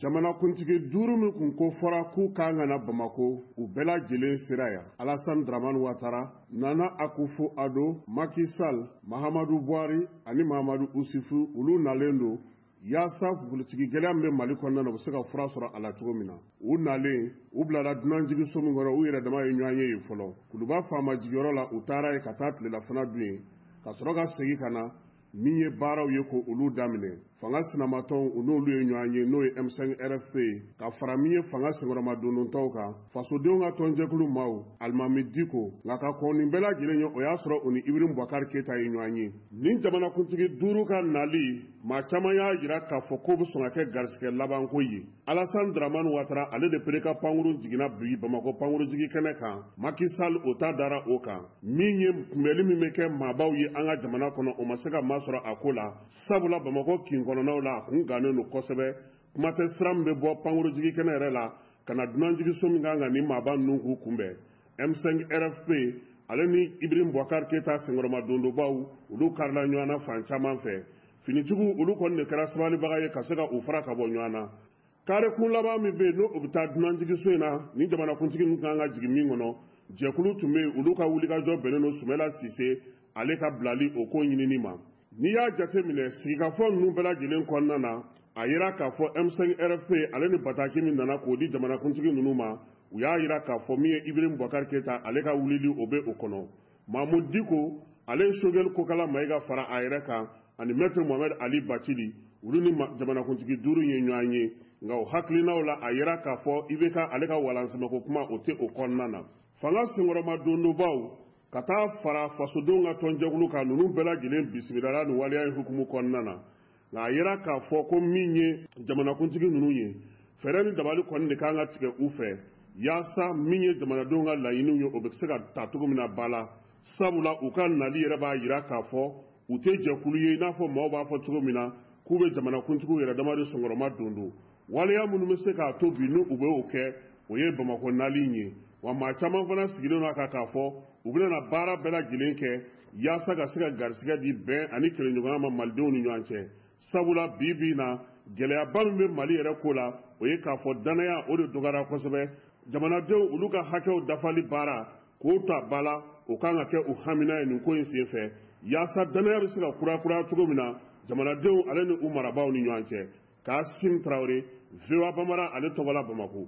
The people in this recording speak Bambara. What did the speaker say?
Jamanakuntigi duuru min kun ko fɔra k'u kan ka na Bamakɔ, u bɛɛ lajɛlen sera yan: Alassane Dramane Ouattara, Nana Akufo-Addo, Macky Sall, Mahamadou Buhari ani Mahamadou Issoufou. Olu nalen don yaasa politiki gɛlɛya min bɛ Mali kɔnɔna na, u bɛ se ka fura sɔrɔ a la cogo min na. U nalen, u bilala dunanjiginso min kɔnɔ, u yɛrɛ dama ye ɲɔgɔn ye yen fɔlɔ. Kuluba faama jigiyɔrɔ la, u taara yen ka taa tilelafana dun yen, ka sɔrɔ ka segin ka na min ye baaraw ye ko olu daminɛ. Fanga sinamatɔnw, u n'olu ye ɲɔgɔn ye, n'o ye M5 RFP ye, ka fara min ye fanga senkɔrɔma dondontɔw kan, fasodenw ka tɔnjɛkulu maaw, Alimami Diko. Nka ka kɔn nin bɛɛ lajɛlen ye, o y'a sɔrɔ u ni Ibrahim Boubacar Keita ye ɲɔgɔn ye. Nin jamanakuntigi duuru ka nali, maa caman y'a jira k'a fɔ k'o bɛ sɔn ka kɛ garisigɛ labanko ye. Alassane Dramane Ouattara, ale de pere ka pankurun jiginna bi Bamakɔ pankurunjigi kɛnɛ kan. Macky Sall, o ta dara o kan. Min ye kunbɛli min bɛ kɛ maabaw ye an ka jamana kɔnɔ, o ma se ka masɔrɔ a ko la, sabula Bamakɔ kin kɔnɔnaw la, a kun gannen don kosɛbɛ. Kuma tɛ sira min bɛ bɔ pankurunjigi kɛnɛ yɛrɛ la ka na dunanjiginso min kan ka nin maaba ninnu k'u kunbɛn. M5 RFP ale ni Ibrahim Boubacar Keita senkɔrɔma dondobaw, olu karila ɲɔgɔn na fan caman fɛ. Finitigiw, olu kɔni de kɛra sabalibaga ye ka se ka u fara ka bɔ ɲɔgɔn na. Kare kun laban min bɛ yen, n'o o bɛ taa dunanjiginso in na ni jamanakuntigi ninnu kan ka jigin min kɔnɔ, jɛkulu tun bɛ yen, olu ka wulikajɔ bɛnnen don Sumala Sise ale ka bilali o ko ɲinini ma. N'i y'a jateminɛ sigikafɔ ninnu bɛɛ lajɛlen kɔnɔna na, a yira k'a fɔ M5 RFP ale ni bataki min nana k'o di jamanakuntigi ninnu ma, u y'a yira k'a fɔ min ye Ibrahim Boubacar Keita ale ka wulili, o bɛ o kɔnɔ. Mahmoud Dicko ale ye Choguel Kokala Maïga fara a yɛrɛ kan ani Maître Mohamed Ali Bathily, olu ni jamanakuntigi duuru ye ɲɔgɔn ye. Nka o hakilinaw la, a yira k'a fɔ IBK ale ka walansɛmɛko kuma, o tɛ o kɔnɔna na. Fanga senkɔrɔma dondobaw ka taa fara fasodenw ka tɔnjɛkulu kan, ninnu bɛɛ lajɛlen bisimilala nin waleya in hukumu kɔnɔna na. Nka a yira k'a fɔ ko min ye jamanakuntigi ninnu ye, fɛɛrɛ ni dabali kɔni de kan ka tigɛ u fɛ yaasa min ye jamanadenw ka laɲiniw ye, o bɛ se ka ta cogo min na ba la, sabula u ka nali yɛrɛ b'a yira k'a fɔ u tɛ jɛkulu ye i n'a fɔ maaw b'a fɔ cogo min na k'u bɛ jamanakuntigiw yɛrɛ dama de sɔnkɔrɔma don don. Waleya minnu bɛ se k'a to bi ni u bɛ o kɛ, o ye Bamakɔ nali in ye. Wa maa caman fana sigilen don a kan k'a fɔ u bɛna baara bɛɛ lajɛlen kɛ yaasa ka se ka garisigɛ di bɛn ani kelenɲɔgɔnya ma malidenw ni ɲɔgɔn cɛ, sabula bi bi in na, gɛlɛyaba min bɛ Mali yɛrɛ ko la, o ye k'a fɔ danaya o de dɔgɔyara kosɛbɛ. Jamanadenw olu ka hakɛw dafali baara k'o ta ba la, o kan ka kɛ u hamina ye nin ko in senfɛ, yaasa danaya bɛ se ka kurakuraya cogo min na jamanadenw ale ni u marabaaw ni ɲɔgɔn cɛ. K'Asim Tarawele, VOA Bambara ale tɔgɔ la, Bamakɔ.